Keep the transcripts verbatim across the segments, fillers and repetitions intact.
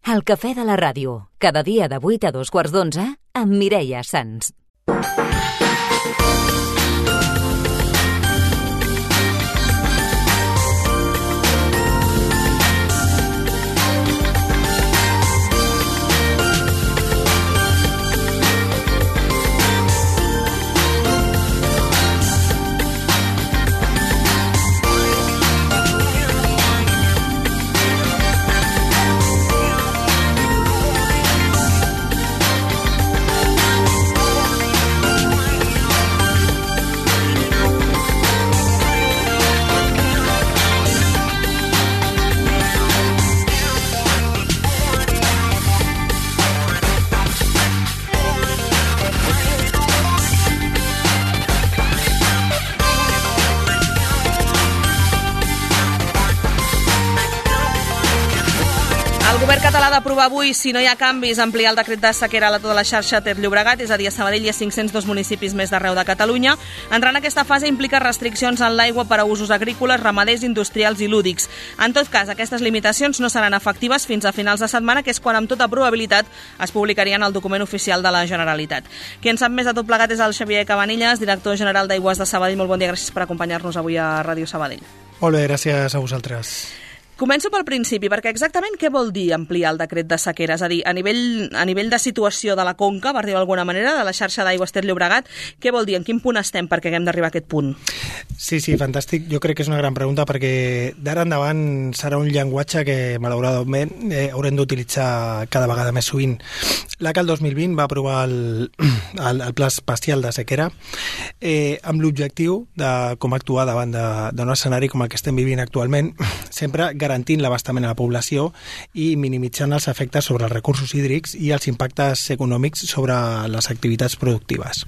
El cafè de la ràdio, cada dia de vuit a dos quarts d'onze, amb Mireia Sans. El govern català ha d'aprovar avui, si no hi ha canvis, ampliar el decret de sequera a tota la xarxa Ter-Llobregat, és a dir, a Sabadell hi ha cinc-cents dos municipis més d'arreu de Catalunya. Entrar en aquesta fase implica restriccions en l'aigua per a usos agrícoles, ramaders, industrials i lúdics. En tot cas, aquestes limitacions no seran efectives fins a finals de setmana, que és quan amb tota probabilitat es publicarien al document oficial de la Generalitat. Qui en sap més de tot plegat és el Xavier Cabanillas, director general d'Aigües de Sabadell. Molt bon dia, gràcies per acompanyar-nos avui a Ràdio Sabadell. Molt bé, gràcies a vosaltres. Començo pel principi, perquè exactament què vol dir ampliar el decret de sequera? És a dir, a nivell, a nivell de situació de la conca, per dir-ho d'alguna manera, de la xarxa d'aigües Ter-Llobregat, què vol dir? En quin punt estem perquè haguem d'arribar a aquest punt? Sí, sí, fantàstic. Jo crec que és una gran pregunta perquè d'ara endavant serà un llenguatge que, malauradament, eh, haurem d'utilitzar cada vegada més sovint. L'A C A el dos mil vint va aprovar el, el, el Pla Especial de Sequera eh, amb l'objectiu de com actuar davant d'un escenari com el que estem vivint actualment, sempre garantint l'abastament a la població i minimitzant els efectes sobre els recursos hídrics i els impactes econòmics sobre les activitats productives.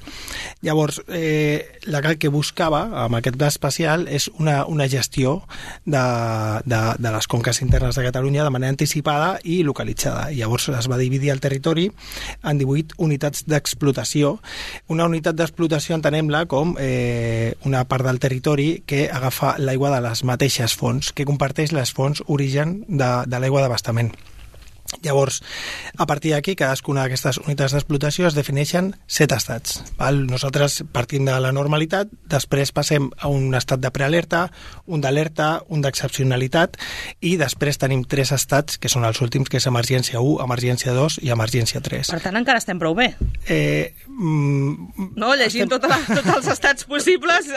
Llavors, eh, la C A L que buscava amb aquest pla especial és una, una gestió de, de, de les conques internes de Catalunya de manera anticipada i localitzada. Llavors es va dividir el territori en divuit unitats d'explotació. Una unitat d'explotació entenem-la com eh, una part del territori que agafa l'aigua de les mateixes fonts, que comparteix les fonts origen de, de l'aigua d'abastament. Llavors, a partir d'aquí, cadascuna d'aquestes unitats d'explotació es defineixen set estats. Val? Nosaltres partim de la normalitat, després passem a un estat de prealerta, un d'alerta, un d'excepcionalitat i després tenim tres estats, que són els últims, que és emergència u, emergència dos i emergència tres. Per tant, encara estem prou bé. Eh, mm, no, llegint estem... tota la, tots els estats possibles,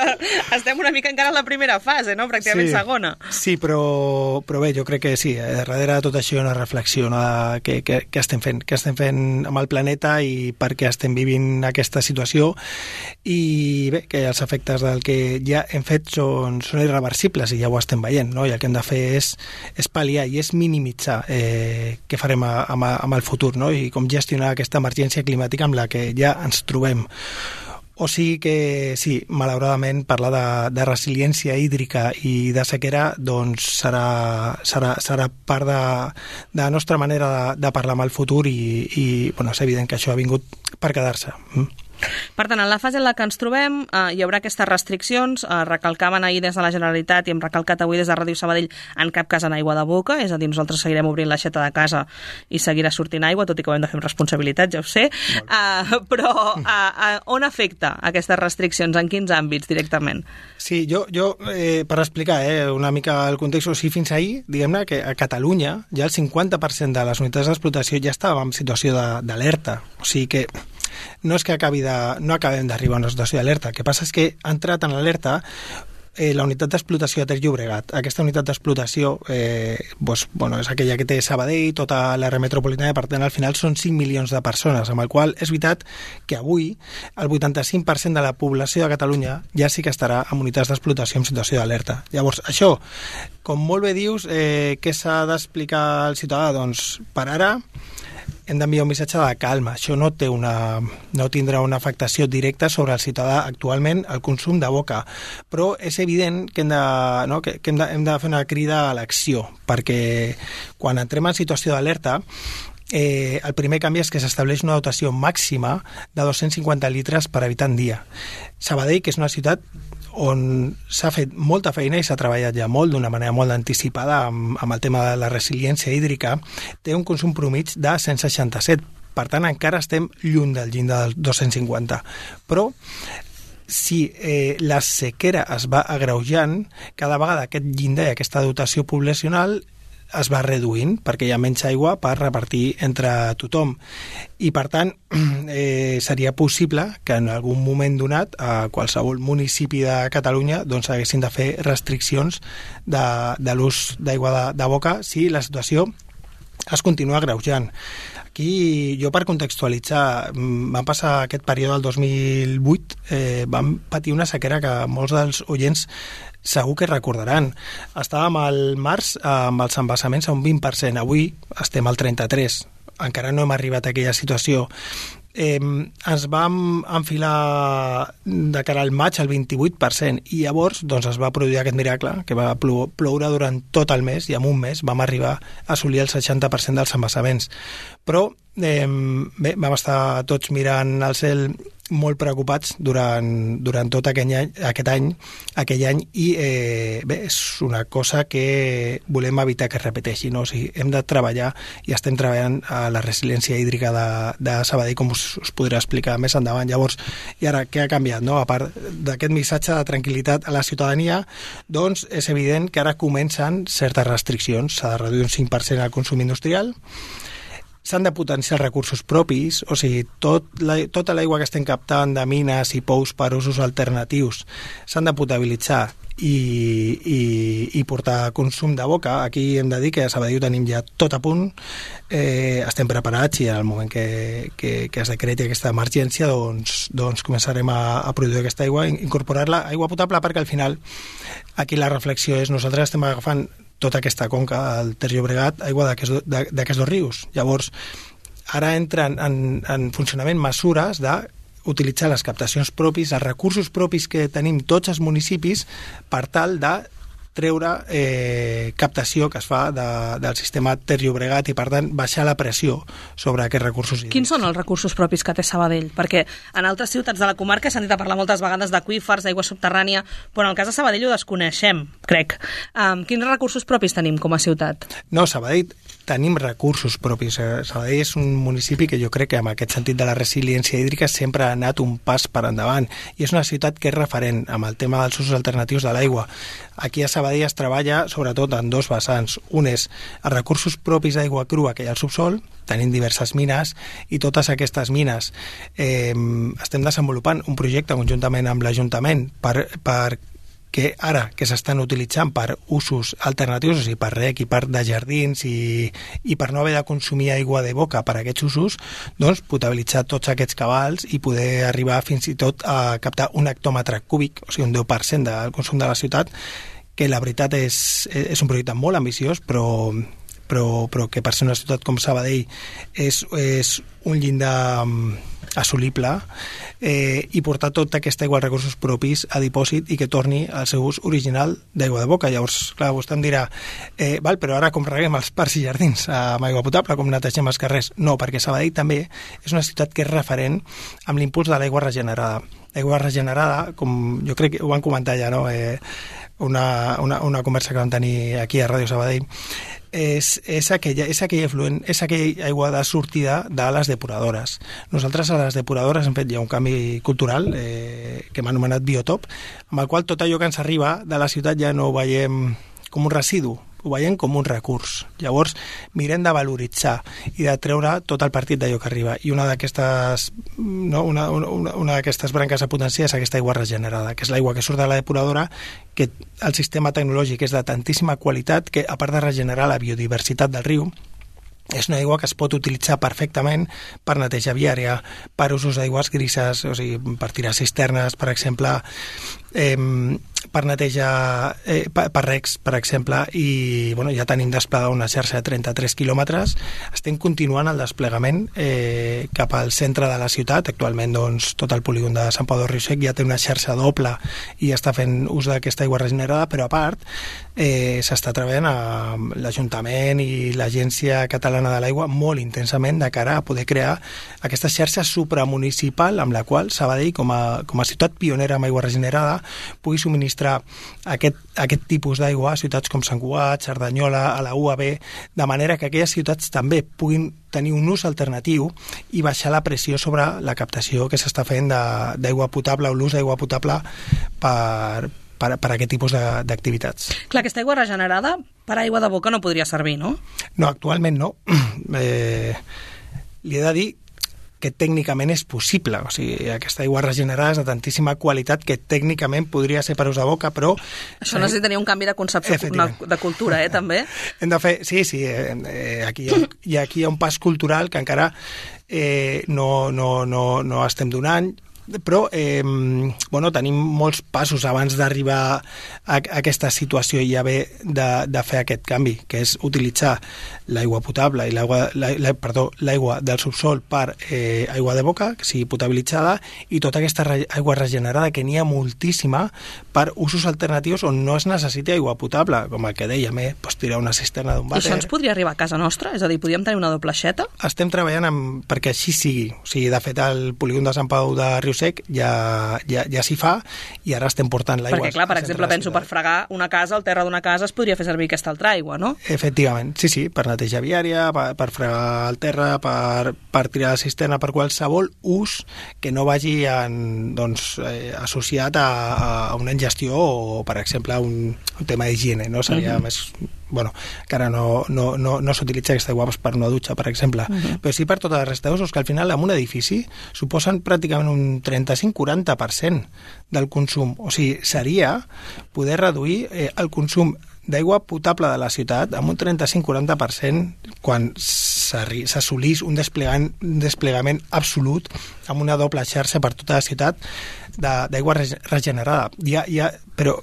estem una mica encara en la primera fase, no? Pràcticament sí, segona. Sí, però, però bé, jo crec que sí, eh, darrere de tot això hi ha una reflexió, no? Què, què, què estem fent, què estem fent amb el planeta i per què estem vivint aquesta situació i bé, que els efectes del que ja hem fet són, són irreversibles i ja ho estem veient, no? I el que hem de fer és, és pal·liar i és minimitzar eh, què farem a, a, amb el futur, no? I com gestionar aquesta emergència climàtica amb la que ja ens trobem. O sigui que, sí, malauradament, parlar de, de resiliència hídrica i de sequera doncs serà, serà, serà part de, de la nostra manera de, de parlar amb el futur i, i bueno, és evident que això ha vingut per quedar-se. Mm. Per tant, en la fase en la que ens trobem eh, hi haurà aquestes restriccions, eh, recalcaven ahir des de la Generalitat i hem recalcat avui des de Ràdio Sabadell, en cap cas en aigua de boca, és a dir, nosaltres seguirem obrint l'aixeta de casa i seguirà sortint aigua, tot i que ho hem de fer amb responsabilitat, ja ho sé, eh, però eh, eh, on afecta aquestes restriccions, en quins àmbits directament? Sí, jo, jo eh, per explicar eh, una mica el context, o sigui, fins ahir, diguem-ne que a Catalunya ja el cinquanta per cent de les unitats d'explotació ja estava en situació d'alerta, o sigui que no és que acabi de, no acabem d'arribar a una situació d'alerta, el que passa és que ha entrat en l'alerta eh, la unitat d'explotació de Ter-Llobregat. Aquesta unitat d'explotació eh, doncs, bueno, és aquella que té Sabadell, tota l'àrea metropolitana, i per tant al final són cinc milions de persones, amb el qual és veritat que avui el vuitanta-cinc per cent de la població de Catalunya ja sí que estarà en unitats d'explotació en situació d'alerta. Llavors, això, com molt bé dius, eh, què s'ha d'explicar al ciutadà? Doncs per ara hem d'enviar un missatge de calma. Això no té una, no tindrà una afectació directa sobre el ciutadà actualment el consum de boca, però és evident que hem de, no, que, que hem de, hem de fer una crida a l'acció, perquè quan entrem en situació d'alerta eh, el primer canvi és que s'estableix una dotació màxima de dos-cents cinquanta litres per habitant dia. Sabadell, que és una ciutat on s'ha fet molta feina i s'ha treballat ja molt, d'una manera molt anticipada amb, amb el tema de la resiliència hídrica, té un consum promig de cent seixanta-set. Per tant, encara estem lluny del llindar del dos-cents cinquanta. Però si eh, la sequera es va agreujant, cada vegada aquest llindar i aquesta dotació poblacional es va reduint perquè hi ha menys aigua per repartir entre tothom. I, per tant, eh, seria possible que en algun moment donat a qualsevol municipi de Catalunya doncs haguessin de fer restriccions de, de l'ús d'aigua de, de boca si la situació es continua agreujant. Aquí, jo per contextualitzar, vam passar aquest període del dos mil vuit, eh, vam patir una sequera que molts dels oients segur que recordaran. Estàvem al març amb els embassaments a un vint per cent, avui estem al trenta-tres per cent. Encara no hem arribat a aquella situació. Eh, ens vam enfilar de cara al maig al vint-i-vuit per cent i llavors doncs, es va produir aquest miracle que va plou, ploure durant tot el mes i en un mes vam arribar a assolir el seixanta per cent dels embassaments. Però eh, bé, vam estar tots mirant al cel molt preocupats durant, durant tot aquell any, aquest any, aquell any i eh, bé, és una cosa que volem evitar que es repeteixi, no? O sigui, hem de treballar i estem treballant a la resiliència hídrica de, de Sabadell, com us, us podré explicar més endavant. Llavors, i ara què ha canviat, no? A part d'aquest missatge de tranquil·litat a la ciutadania, doncs és evident que ara comencen certes restriccions. S'ha de reduir un cinc per cent el consum industrial, s'han de potenciar els recursos propis, o sigui, tot la, tota l'aigua que estem captant de mines i pous per usos alternatius s'han de potabilitzar i, i, i portar consum de boca. Aquí hem de dir que a Sabadell ho tenim ja tot a punt, eh, estem preparats i en el moment que, que, que es decreti aquesta emergència doncs, doncs començarem a, a produir aquesta aigua, incorporar-la aigua potable, perquè al final aquí la reflexió és nosaltres estem agafant tota aquesta conca, el Ter Llobregat, aigua d'aquests dos rius. Llavors, ara entren en, en funcionament mesures d'utilitzar les captacions propis, els recursos propis que tenim tots els municipis per tal de treure eh, captació que es fa de, del sistema Ter Llobregat i, per tant, baixar la pressió sobre aquests recursos hídrics. Quins són els recursos propis que té Sabadell? Perquè en altres ciutats de la comarca s'han dit a parlar moltes vegades d'aqüífers, d'aigua subterrània, però en el cas de Sabadell ho desconeixem, crec. Um, quins recursos propis tenim com a ciutat? No, Sabadell tenim recursos propis. Sabadell és un municipi que jo crec que en aquest sentit de la resiliència hídrica sempre ha anat un pas per endavant i és una ciutat que és referent amb el tema dels usos alternatius de l'aigua. Aquí a Sabadell es treballa sobretot en dos vessants. Un és els recursos propis d'aigua crua que hi ha al subsol, tenim diverses mines i totes aquestes mines eh, estem desenvolupant un projecte conjuntament amb l'Ajuntament per, per que ara que s'estan utilitzant per usos alternatius, o sigui, per rec i per de jardins i, i per no haver de consumir aigua de boca per a aquests usos, doncs potabilitzar tots aquests cabals i poder arribar fins i tot a captar un hectòmetre cúbic, o sigui, un deu per cent del consum de la ciutat, que la veritat és, és un projecte molt ambiciós, però, però, però que per ser una ciutat com Sabadell és, és un llindar assolible eh, i portar tota aquesta aigua als recursos propis a dipòsit i que torni al seu ús original d'aigua de boca. Llavors, clar, vostè em dirà eh, val, però ara com reguem els parcs i jardins amb aigua potable, com netegem els carrers? No, perquè Sabadell també és una ciutat que és referent amb l'impuls de l'aigua regenerada. L'aigua regenerada, com jo crec que ho van comentar ja, no? Eh, una, una, una conversa que vam tenir aquí a Ràdio Sabadell, és, és, aquella, és aquell efluent, és aquella aigua de sortida de les depuradores. Nosaltres a les depuradores hem fet ja un canvi cultural eh, que hem anomenat biotop, amb el qual tot allò que ens arriba de la ciutat ja no ho veiem com un residu, ho veiem com un recurs. Llavors mirem de valoritzar i de treure tot el partit d'allò que arriba, i una d'aquestes no, una, una, una d'aquestes branques a potenciar és aquesta aigua regenerada, que és l'aigua que surt de la depuradora, que el sistema tecnològic és de tantíssima qualitat que, a part de regenerar la biodiversitat del riu, és una aigua que es pot utilitzar perfectament per neteja viària, per usos d'aigües grises, o sigui, per tirar cisternes, per exemple, eh, per neteja, eh, per, per recs, per exemple, i bueno, ja tenim desplegada una xarxa de trenta-tres quilòmetres. Estem continuant el desplegament eh, cap al centre de la ciutat. Actualment, doncs, tot el polígon de Sant Pau del Riu Sec ja té una xarxa doble i està fent ús d'aquesta aigua regenerada, però a part eh, s'està treballant amb l'Ajuntament i l'Agència Catalana de l'Aigua molt intensament de cara a poder crear aquesta xarxa supramunicipal amb la qual Sabadell, com a, com a ciutat pionera amb aigua regenerada, pugui subministrar aquest, aquest tipus d'aigua a ciutats com Sant Cugat, Cerdanyola, a la U A B, de manera que aquelles ciutats també puguin tenir un ús alternatiu i baixar la pressió sobre la captació que s'està fent d'aigua potable o l'ús d'aigua potable per, per, per a aquest tipus d'activitats. Clar, aquesta aigua regenerada per aigua de boca no podria servir, no? No, actualment no. Eh, li he de dir que tècnicament és possible. O sigui, aquesta aigua regenerada és de tantíssima qualitat que tècnicament podria ser per ús de boca, però... Això necessitaria un canvi de concepció de cultura, eh, també? Hem de fer... Sí, sí, eh, aquí, hi ha, i aquí hi ha un pas cultural que encara eh, no, no, no, no estem donant, però eh, bueno, tenim molts passos abans d'arribar a, a aquesta situació i haver de, de fer aquest canvi, que és utilitzar l'aigua potable i l'aigua la, la, perdó, l'aigua del subsol per eh, aigua de boca, que sigui potabilitzada, i tota aquesta re, aigua regenerada, que n'hi ha moltíssima, per usos alternatius on no es necessiti aigua potable, com el que dèiem, eh? Pues tirar una cisterna d'un vàter. I això ens podria arribar a casa nostra? És a dir, podríem tenir una doble aixeta? Estem treballant amb, perquè així sigui. O sigui, de fet, el polígon de Sant Pau de Riu Sec ja, ja, ja s'hi fa i ara estem portant l'aigua. Perquè, clar, per exemple, penso per fregar una casa, el terra d'una casa es podria fer servir aquesta altra aigua, no? Efectivament, sí, sí, per neteja viària, per, per fregar el terra, per, per tirar la cisterna, per qualsevol ús que no vagi en, doncs, eh, associat a, a una ingestió o, per exemple, a un, un tema d'higiene, no? Seria uh-huh. més... Bueno, encara no, no, no, no s'utilitza aquesta aigua per una dutxa, per exemple, uh-huh. però sí per tota la resta d'usos, que al final en un edifici suposen pràcticament un trenta-cinc a quaranta per cent del consum. O sigui, seria poder reduir eh, el consum d'aigua potable de la ciutat amb un trenta-cinc a quaranta per cent quan s'assolís un desplegament, un desplegament absolut amb una doble xarxa per tota la ciutat d'aigua regenerada. Ja, ja, però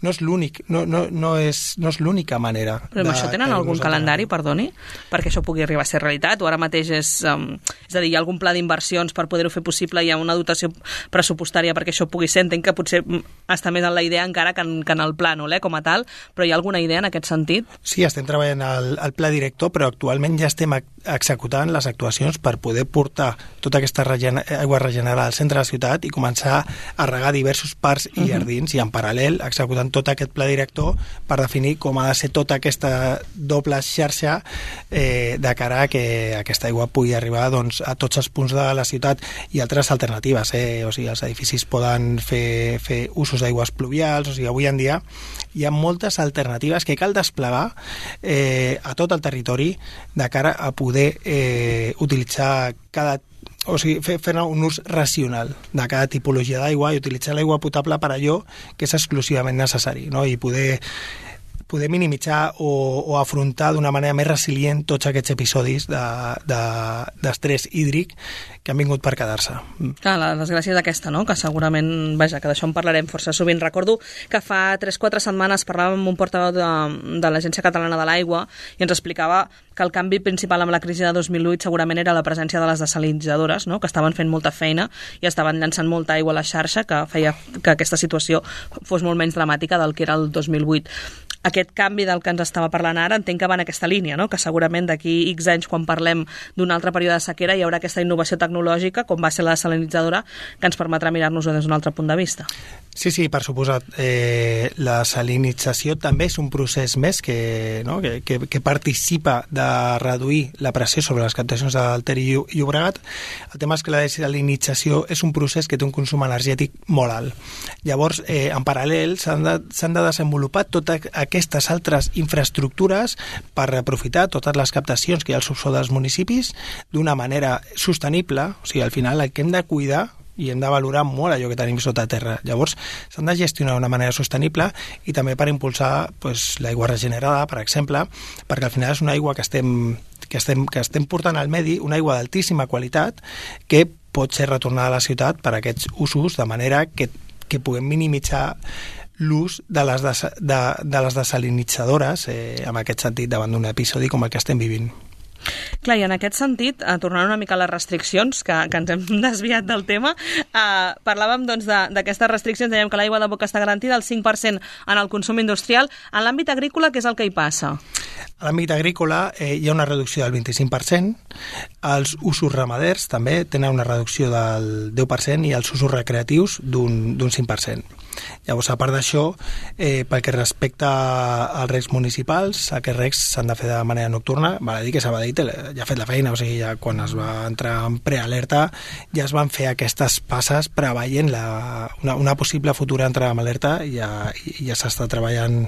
no és l'únic, no, no, no és, no és l'única manera. Però amb això tenen algun calendari, perdoni, perquè això pugui arribar a ser realitat, o ara mateix és, um, és a dir, hi ha algun pla d'inversions per poder-ho fer possible, hi ha una dotació pressupostària perquè això pugui ser, entenc que potser està més en la idea encara que en, que en el plànol, eh, com a tal, però hi ha alguna idea en aquest sentit? Sí, estem treballant al, al pla director, però actualment ja estem executant les actuacions per poder portar tota aquesta regen aigua regenerada al centre de la ciutat i començar a regar diversos parcs i jardins, uh-huh. i en paral·lel executant tot aquest pla director per definir com ha de ser tota aquesta doble xarxa eh, de cara a que aquesta aigua pugui arribar, doncs, a tots els punts de la ciutat i altres alternatives. Eh? O sigui, els edificis poden fer, fer usos d'aigües pluvials, o sigui, avui en dia hi ha moltes alternatives que cal desplegar eh, a tot el territori de cara a poder eh, utilitzar cada o sigui, fer, fer un ús racional de cada tipologia d'aigua i utilitzar l'aigua potable per allò que és exclusivament necessari, no? I poder poder minimitzar o, o afrontar d'una manera més resilient tots aquests episodis d'estrès de, de, hídric que han vingut per quedar-se. Clar, la desgràcia és aquesta, no? Que segurament, vaja, que d'això en parlarem força sovint. Recordo que fa tres o quatre setmanes parlàvem amb un portaveu de, de l'Agència Catalana de l'Aigua i ens explicava que el canvi principal amb la crisi de dos mil vuit segurament era la presència de les desalinitzadores, no? Que estaven fent molta feina i estaven llançant molta aigua a la xarxa, que feia que aquesta situació fos molt menys dramàtica del que era el dos mil vuit. Aquest canvi del que ens estava parlant ara entenc que va en aquesta línia, no? Que segurament d'aquí X anys, quan parlem d'un altre període de sequera, hi haurà aquesta innovació tecnològica, com va ser la desalinitzadora, que ens permetrà mirar-nos-ho des d'un altre punt de vista. Sí, sí, per suposat. Eh, la salinització també és un procés més que, no? que, que, que participa de reduir la pressió sobre les captacions del Ter i Llobregat. El tema és que la desalinització és un procés que té un consum energètic molt alt. Llavors, eh, en paral·lel, s'han de, s'han de desenvolupar totes aquestes altres infraestructures per aprofitar totes les captacions que hi ha al subsol dels municipis d'una manera sostenible. O sigui, al final el que hem de cuidar i hem de valorar molt allò que tenim sota terra. Llavors, s'han de gestionar d'una manera sostenible i també per impulsar pues, l'aigua regenerada, per exemple, perquè al final és una aigua que estem, que estem, que estem portant al medi, una aigua d'altíssima qualitat que pot ser retornada a la ciutat per a aquests usos, de manera que, que puguem minimitzar l'ús de les, des, de, de les desalinitzadores, eh, en aquest sentit, davant d'un episodi com el que estem vivint. Clar, i en aquest sentit, eh, tornant una mica a les restriccions, que, que ens hem desviat del tema, eh, parlàvem doncs, d'aquestes restriccions, dèiem que l'aigua de boca està garantida al cinc per cent en el consum industrial. En l'àmbit agrícola, què és el que hi passa? A l'àmbit agrícola eh, hi ha una reducció del vint-i-cinc per cent, els usos ramaders també tenen una reducció del deu per cent i els usos recreatius d'un cinc per cent. Llavors, a part d'això, eh, pel que respecta als regs municipals, aquests regs s'han de fer de manera nocturna. Val a dir que Sabadell ja ha fet la feina, o sigui, ja quan es va entrar en prealerta ja es van fer aquestes passes preveient la, una, una possible futura entrada en alerta i ja, ja s'està treballant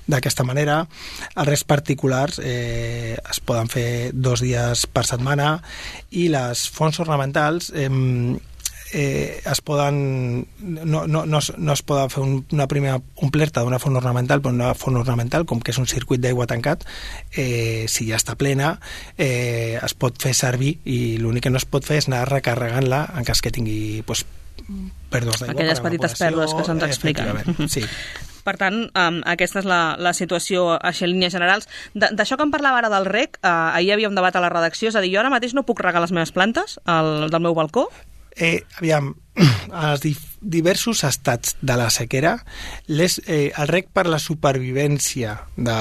d'aquesta manera. Els regs particulars eh, es poden fer dos dies per setmana i les fonts ornamentals eh, eh, es poden no, no, no, es, no es poden fer un, una primera omplerta d'una font ornamental, però una font ornamental, com que és un circuit d'aigua tancat, eh, si ja està plena, eh, es pot fer servir i l'únic que no es pot fer és anar recarregant-la en cas que tingui pues, pèrdues d'aigua. Aquelles petites pèrdues que se'ns expliquen. Sí. Per tant, um, aquesta és la, la situació així en línies generals. D'això que em parlava ara del reg, uh, ahir hi havia un debat a la redacció, és a dir, jo ara mateix no puc regar les meves plantes al, del meu balcó? Eh, aviam, als dif diversos estats de la sequera, les, eh, el reg per la supervivència de,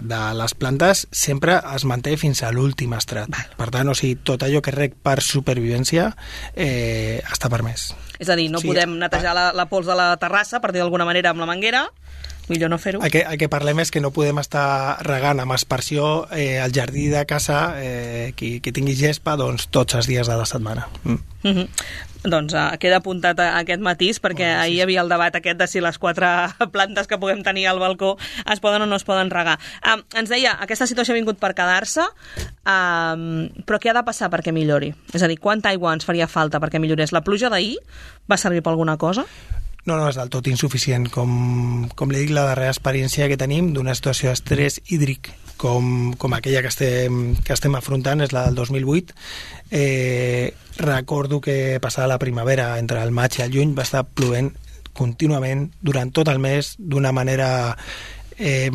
de les plantes sempre es manté fins a l'últim estrat. Per tant, o sigui, tot allò que és reg per supervivència eh, està permès. És a dir, no sí, podem netejar la, la pols de la terrassa, per dir d'alguna manera, amb la manguera, millor no fer-ho. El, el, el que parlem és que no podem estar regant amb aspersió eh, al jardí de casa, eh, qui, qui tingui gespa, doncs tots els dies de la setmana. Mm. Mm-hmm. Doncs uh, queda apuntat a aquest matís, perquè oh, sí, ahir hi havia el debat aquest de si les quatre plantes que puguem tenir al balcó es poden o no es poden regar. Uh, ens deia, aquesta situació ha vingut per quedar-se, uh, però què ha de passar perquè millori? És a dir, quanta aigua ens faria falta perquè millorés? La pluja d'ahir va servir per alguna cosa? No, no, és del tot insuficient. Com, com li dic, la darrera experiència que tenim d'una situació d'estrès hídric com, com aquella que estem, que estem afrontant és la del dos mil vuit. Eh, recordo que passada la primavera, entre el maig i el juny, va estar plovent contínuament durant tot el mes d'una manera eh,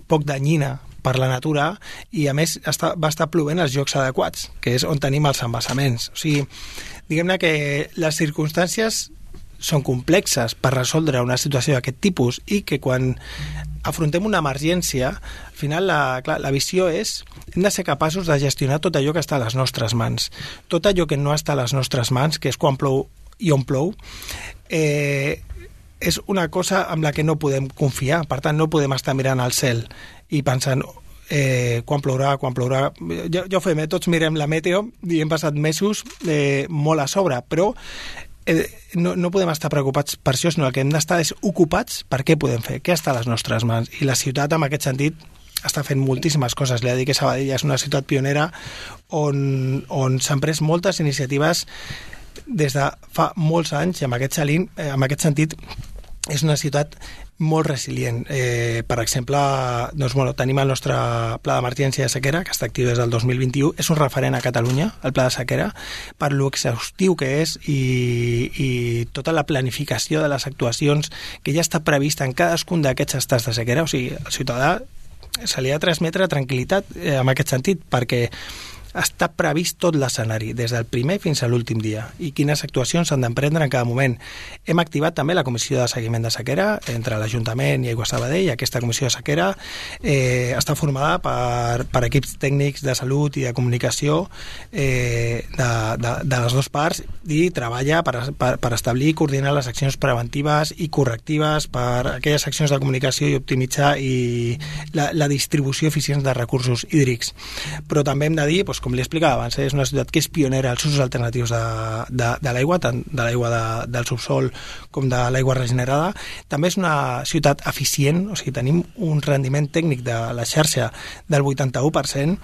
poc danyina per la natura i, a més, està, va estar plovent als llocs adequats, que és on tenim els embassaments. O sigui, diguem-ne que les circumstàncies són complexes per resoldre una situació d'aquest tipus i que quan afrontem una emergència, al final la, clar, la visió és hem de ser capaços de gestionar tot allò que està a les nostres mans. Tot allò que no està a les nostres mans, que és quan plou i on plou, eh, és una cosa amb la que no podem confiar. Per tant, no podem estar mirant al cel i pensant eh, quan plourà, quan plourà. Jo, jo fem, eh? Tots mirem la meteo i hem passat mesos eh, molt a sobre, però eh, no, no podem estar preocupats per això, sinó el que hem d'estar és ocupats per què podem fer, què està a les nostres mans. I la ciutat, en aquest sentit, està fent moltíssimes coses. Li ha dit que Sabadell és una ciutat pionera on, on s'han pres moltes iniciatives des de fa molts anys i en aquest, salint, eh, en aquest sentit és una ciutat molt resilient. Eh, per exemple, doncs, bueno, tenim el nostre pla d'emergència de sequera, que està actiu des del dos mil vint-i-u. És un referent a Catalunya, el pla de sequera, per lo exhaustiu que és i, i tota la planificació de les actuacions que ja està prevista en cadascun d'aquests estats de sequera. O sigui, el ciutadà se li ha de transmetre tranquil·litat eh, en aquest sentit, perquè està previst tot l'escenari, des del primer fins a l'últim dia, i quines actuacions s'han d'emprendre en cada moment. Hem activat també la comissió de seguiment de sequera entre l'Ajuntament i Aigua Sabadell. Aquesta comissió de sequera eh, està formada per, per equips tècnics de salut i de comunicació eh, de, de, de les dues parts i treballa per, per, per establir i coordinar les accions preventives i correctives per aquelles accions de comunicació i optimitzar i la, la distribució eficient de recursos hídrics. Però també hem de dir, doncs, com li explicava abans, és una ciutat que és pionera als usos alternatius de, de, de l'aigua, tant de l'aigua de, del subsol com de l'aigua regenerada. També és una ciutat eficient, o sigui, tenim un rendiment tècnic de la xarxa del vuitanta-u per cent.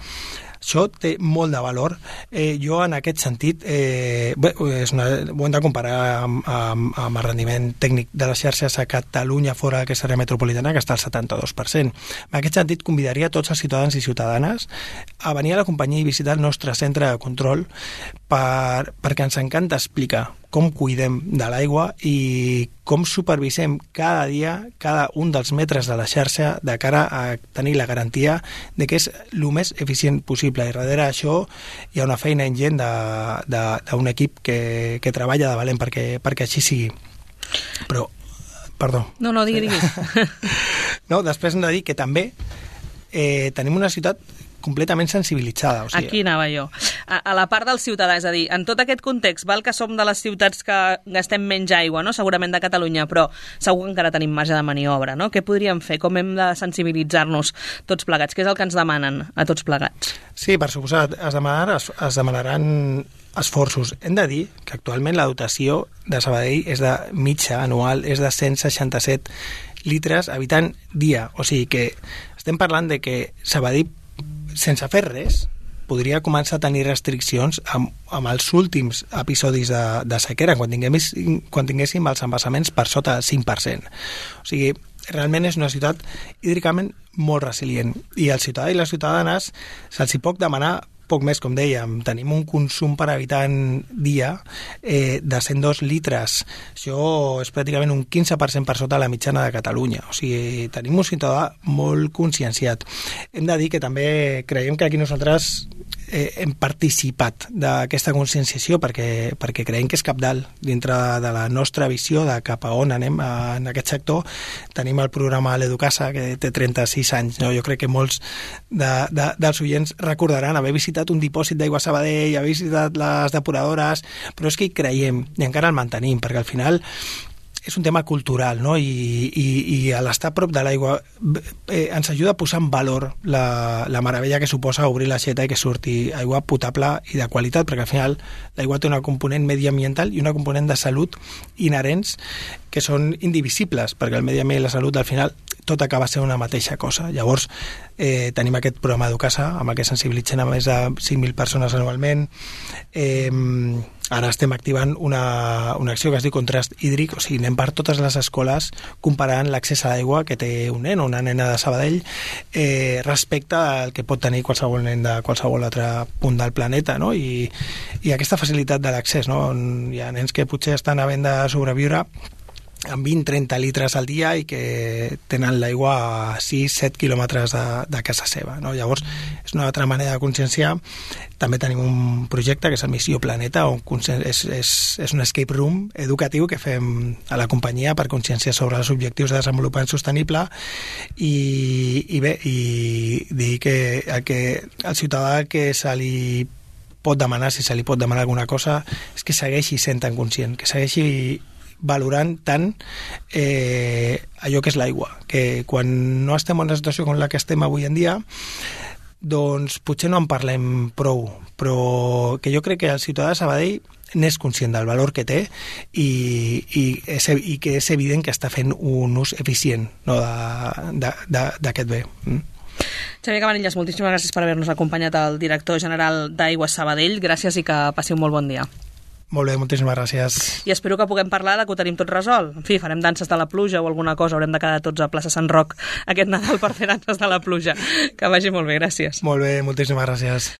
Això té molt de valor. Eh, jo, en aquest sentit, eh, bé, és una, ho hem de comparar amb, amb, amb el rendiment tècnic de les xarxes a Catalunya fora d'aquesta àrea metropolitana, que està al setanta-dos per cent. En aquest sentit, convidaria tots els ciutadans i ciutadanes a venir a la companyia i visitar el nostre centre de control per, perquè ens encanta explicar com cuidem de l'aigua i com supervisem cada dia cada un dels metres de la xarxa de cara a tenir la garantia de que és el més eficient possible. I darrere això hi ha una feina ingent d'un equip que, que treballa de valent perquè, perquè així sigui. Però, perdó. No, no, digui, digui. No, després hem de dir que també eh, tenim una ciutat completament sensibilitzada. O sigui, aquí anava jo. A, a la part del ciutadà, és a dir, en tot aquest context, val que som de les ciutats que gastem menys aigua, no? Segurament de Catalunya, però segur que encara tenim marge de maniobra, no? Què podríem fer? Com hem de sensibilitzar-nos tots plegats? Què és el que ens demanen a tots plegats? Sí, per suposat, es, demanar, es, es demanaran esforços. Hem de dir que actualment la dotació de Sabadell és de mitja anual, és de cent seixanta-set litres habitant dia. O sigui que estem parlant de que Sabadell, sense fer res, podria començar a tenir restriccions amb, amb els últims episodis de, de sequera, quan tinguéssim, quan tinguéssim els embassaments per sota del cinc per cent. O sigui, realment és una ciutat hídricament molt resilient. I als ciutadans i les ciutadanes se'ls hi pot demanar poc més, com dèiem. Tenim un consum per habitant dia eh, de cent dos litres. Això és pràcticament un quinze per cent per sota la mitjana de Catalunya. O sigui, tenim un ciutadà molt conscienciat. Hem de dir que també creiem que aquí nosaltres eh, hem participat d'aquesta conscienciació perquè, perquè creiem que és cabdal dintre de la nostra visió de cap a on anem en aquest sector. Tenim el programa l'Educasa, que té trenta-sis anys. No? Jo crec que molts de, de, dels oients recordaran haver visitat un dipòsit d'aigua a Sabadell, haver visitat les depuradores, però és que hi creiem i encara el mantenim, perquè al final és un tema cultural, no? I, i, i a l'estar a prop de l'aigua eh, ens ajuda a posar en valor la, la meravella que suposa obrir l'aixeta i que surti aigua potable i de qualitat, perquè al final l'aigua té una component mediambiental i una component de salut inherents que són indivisibles, perquè el medi ambient i la salut al final tot acaba sent una mateixa cosa. Llavors, eh, tenim aquest programa Educasa, amb el que sensibilitzen a més de cinc mil persones anualment. Eh, ara estem activant una, una acció que es diu Contrast Hídric, o sigui, anem per totes les escoles comparant l'accés a l'aigua que té un nen o una nena de Sabadell eh, respecte al que pot tenir qualsevol nen de qualsevol altre punt del planeta, no? I, i aquesta facilitat de l'accés, no? Hi ha nens que potser estan havent de sobreviure amb vint a trenta litres al dia i que tenen l'aigua a sis a set quilòmetres de, de casa seva, no? Llavors, és una altra manera de conscienciar. També tenim un projecte que és el Missió Planeta, on és, és, és un escape room educatiu que fem a la companyia per conscienciar sobre els objectius de desenvolupament sostenible i, i bé, i dir que el, que el ciutadà que se li pot demanar, si se li pot demanar alguna cosa, és que segueixi sent tan conscient, que segueixi valorant tant eh, allò que és l'aigua, que quan no estem en una situació com la que estem avui en dia, doncs potser no en parlem prou, però que jo crec que el ciutadà de Sabadell n'és conscient del valor que té i, i, és, i que és evident que està fent un ús eficient, no, d'aquest bé. Mm? Xavier Cabanillas, moltíssimes gràcies per haver-nos acompanyat, el director general d'Aigües Sabadell. Gràcies i que passi un molt bon dia. Molt bé, moltíssimes gràcies. I espero que puguem parlar de que ho tenim tot resolt. En fi, farem danses de la pluja o alguna cosa, haurem de quedar tots a plaça Sant Roc aquest Nadal per fer danses de la pluja. Que vagi molt bé, gràcies. Molt bé, moltíssimes gràcies.